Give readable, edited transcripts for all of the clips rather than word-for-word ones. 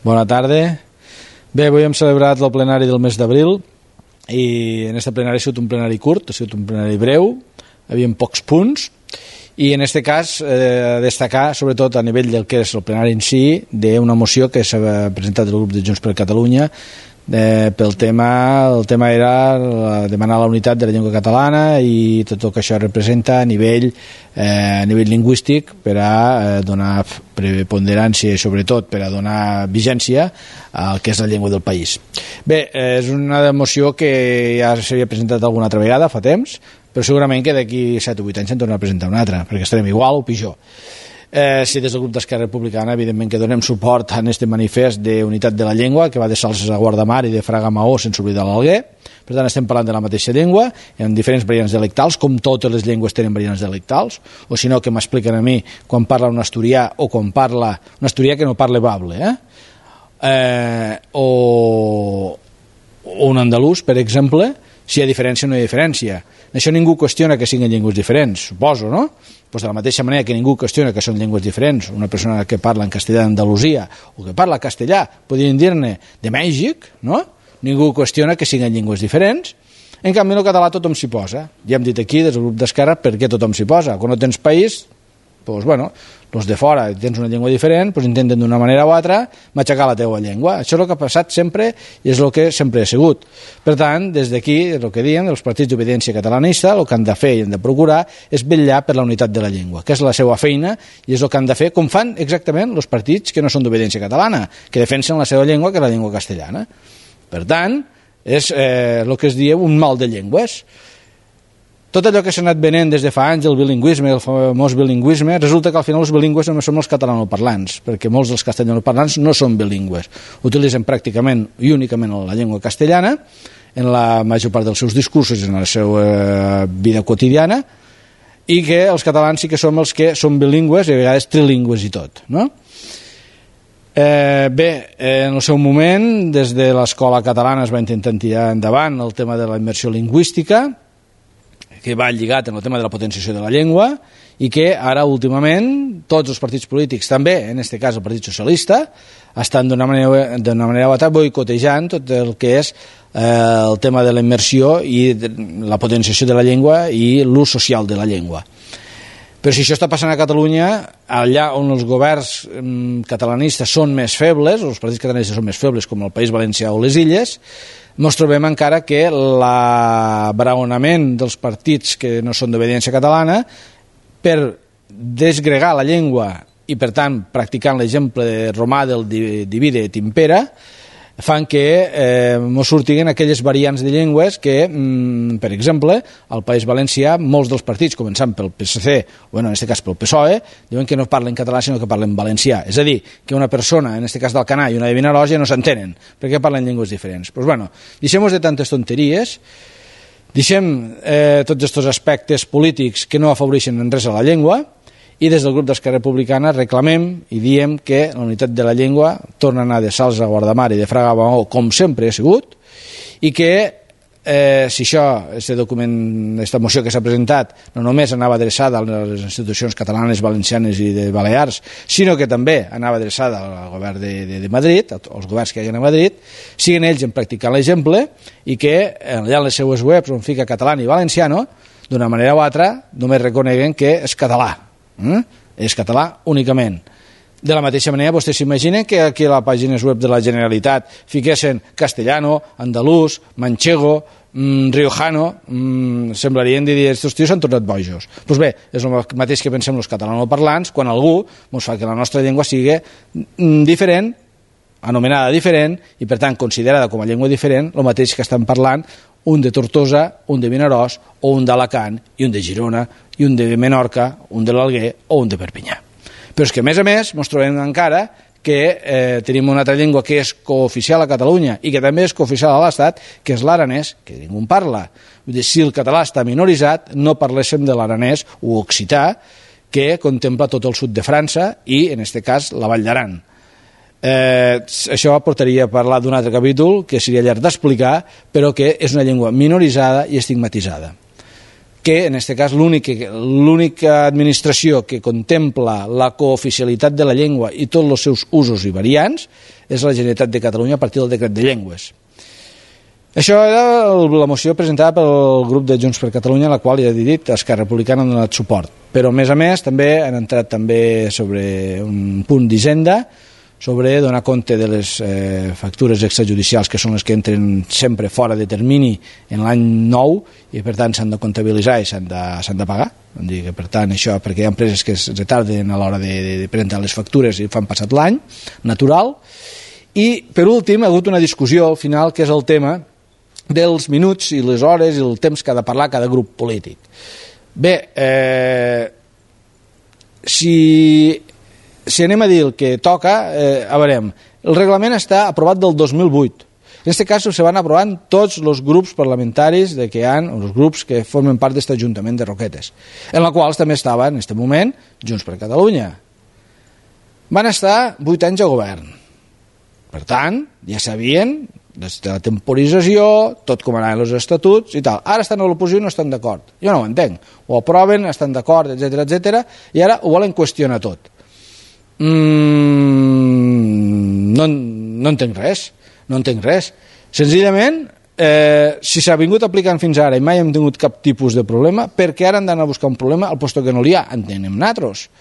Bona tarda. Bé, avui hem celebrat el plenari del mes d'abril i en aquest plenari ha sigut un plenari curt, ha sigut un plenari breu, havia pocs punts i en aquest cas destacar sobretot a nivell del que és el plenari en si d'una moció que s'ha presentat el grup de Junts per Catalunya pel tema, el tema era demanar la unitat de la llengua catalana i tot el que això representa a nivell lingüístic per a donar preponderància i sobretot per a donar vigència al que és la llengua del país. Bé, és una moció que ja s'havia presentat alguna altra vegada fa temps, però segurament que d'aquí 7 o 8 anys se'n torna a presentar una altra, perquè estarem igual o pitjor. Sí, des del grup d'Esquerra Republicana evidentment que donem suport a aquest manifest d'unitat de la llengua que va de Salses a Guardamar i de Fraga a Maó sense oblidar l'Alguer. Per tant estem parlant de la mateixa llengua en diferents variants dialectals, com totes les llengües tenen variants dialectals, o si no que m'expliquen a mi quan parla un asturià o quan parla un asturià que no parla bable o un andalús, per exemple, si hi ha diferència o no hi ha diferència. Això ningú qüestiona que siguin llengües diferents, suposo, no? Pues de la mateixa manera que ningú qüestiona que són llengües diferents, una persona que parla en castellà d'Andalusia o que parla castellà, podríem dir-ne de Mèxic, no? Ningú qüestiona que siguin llengües diferents. En canvi, el català tothom s'hi posa. Ja hem dit aquí, des del grup d'Esquerra, per què tothom s'hi posa. Quan no tens país, doncs, bueno, els de fora tens una llengua diferent, doncs intenten d'una manera o altra matxacar la teua llengua. Això és el que ha passat sempre i és el que sempre ha sigut. Per tant, des d'aquí, el que diem, els partits d'obediència catalanista, el que han de fer i han de procurar és vetllar per la unitat de la llengua, que és la seva feina i és el que han de fer, com fan exactament els partits que no són d'obediència catalana, que defensen la seva llengua, que és la llengua castellana. Per tant, és el que es diu un mal de llengües. Tot allò que s'ha anat venent des de fa anys, el bilingüisme, el famós bilingüisme, resulta que al final els bilingües només són els catalanoparlants, perquè molts dels castellanoparlants no són bilingües. Utilitzen pràcticament i únicament la llengua castellana en la major part dels seus discursos i en la seva vida quotidiana, i que els catalans sí que som els que són bilingües i a vegades trilingües i tot, no? Bé, en el seu moment, des de l'escola catalana es va intentar tirar endavant el tema de la immersió lingüística, que va lligat en el tema de la potenciació de la llengua i que ara últimament tots els partits polítics, també en aquest cas el Partit Socialista, estan d'una manera o altra boicotejant tot el que és el tema de la immersió i la potenciació de la llengua i l'ús social de la llengua. Però si això està passant a Catalunya, allà on els governs catalanistes són més febles, els partits catalanistes són més febles, com el País Valencià o les Illes, ens trobem encara que l'abraonament dels partits que no són d'obediència catalana per desgregar la llengua i, per tant, practicant l'exemple romà del divide et impera, fan que ens surtin aquelles variants de llengües que, per exemple, al País Valencià, molts dels partits, començant pel PSC, o en aquest cas pel PSOE, diuen que no parlen català sinó que parlen valencià. És a dir, que una persona, en aquest cas d'Alcanar i una de Vinaròs, ja no s'entenen, perquè parlen llengües diferents. Doncs bueno, deixem-nos de tantes tonteries, deixem tots aquests aspectes polítics que no afavoreixen en res a la llengua, i des del grup d'Esquerra Republicana reclamem i diem que la unitat de la llengua torna a anar de Salses a Guardamar i de Fraga a Maó com sempre ha sigut i que si això, aquest document, aquesta moció que s'ha presentat no només anava adreçada a les institucions catalanes, valencianes i de Balears, sinó que també anava adreçada al govern de Madrid, als governs que hi ha a Madrid, siguin ells en practicar l'exemple i que allà en les seues webs on fica català i valenciano, d'una manera o altra només reconeguen que és català. És català únicament. De la mateixa manera, vostès s'imaginen que aquí a les pàgines web de la Generalitat fiquessin castellano, andalús, manchego, riojano, semblarien dir que aquests tios s'han tornat bojos. Doncs bé, és el mateix que pensem els catalanoparlants quan algú ens fa que la nostra llengua sigui diferent, anomenada diferent, i per tant considerada com a llengua diferent, el mateix que estan parlant un de Tortosa, un de Vinaròs, o un d'Alacant, i un de Girona, i un de Menorca, un de l'Alguer o un de Perpinyà. Però és que, a més, ens trobem encara que tenim una altra llengua que és cooficial a Catalunya i que també és cooficial a l'Estat, que és l'aranès, que ningú en parla. Vull dir, si el català està minoritzat, no parléssim de l'aranès o occità, que contempla tot el sud de França i, en aquest cas, la Vall d'Aran. Això portaria a parlar d'un altre capítol que seria llarg d'explicar, però que és una llengua minoritzada i estigmatitzada. que en aquest cas l'única administració que contempla la cooficialitat de la llengua i tots els seus usos i variants és la Generalitat de Catalunya a partir del decret de llengües. Això era la moció presentada pel grup de Junts per Catalunya, a la qual ja he dit Esquerra Republicana ha donat suport, però a més també han entrat també sobre un punt d'Hisenda, sobre donar compte de les factures extrajudicials, que són les que entren sempre fora de termini en l'any nou i per tant s'han de comptabilitzar i s'han de pagar. Per tant, això, perquè hi ha empreses que es retarden a l'hora de presentar les factures i fan passat l'any natural. I per últim ha hagut una discussió al final, que és el tema dels minuts i les hores i el temps que ha de parlar cada grup polític. Bé, si anem a dir el que toca, a veure, el reglament està aprovat del 2008. En aquest cas se van aprovant tots els grups parlamentaris que hi ha, els grups que formen part d'aquest Ajuntament de Roquetes, en la qual també estava en aquest moment Junts per Catalunya. Van estar 8 anys a govern. Per tant, ja sabien des de la temporització, tot com anaven els estatuts i tal. Ara estan a l'oposició i no estan d'acord. Jo no ho entenc. Ho aproven, estan d'acord, etc, i ara ho volen qüestionar tot. No entenc res. Senzillament, si s'ha vingut aplicant fins ara i mai hem tingut cap tipus de problema, perquè ara han d'anar a buscar un problema al lloc que no n'hi ha? En tenim nosaltres.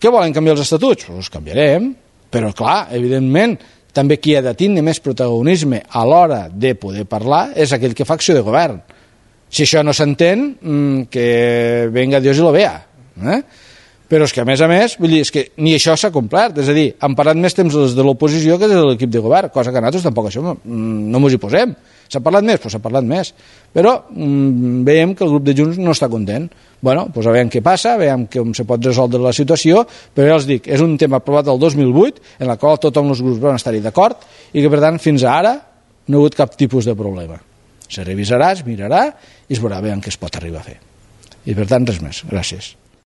Què volen, canviar els estatuts? Doncs canviarem, però clar, evidentment, també qui ha de tindre més protagonisme a l'hora de poder parlar és aquell que fa acció de govern. Si això no s'entén, que venga Dios y lo vea. Però és que a més, vull dir, és que ni això s'ha complert, és a dir, han parlat més temps els de l'oposició que de l'equip de govern, cosa que nosaltres tampoc això no ens hi posem. S'ha parlat més? Doncs s'ha parlat més. Però veiem que el grup de Junts no està content. Bueno, doncs a veure què passa, veiem com se pot resoldre la situació, però ja els dic, és un tema aprovat el 2008, en el qual tothom els grups van estar-hi d'acord, i que per tant fins ara no ha hagut cap tipus de problema. Se revisarà, es mirarà i es veurà bé en què es pot arribar a fer. I per tant res més. Gràcies.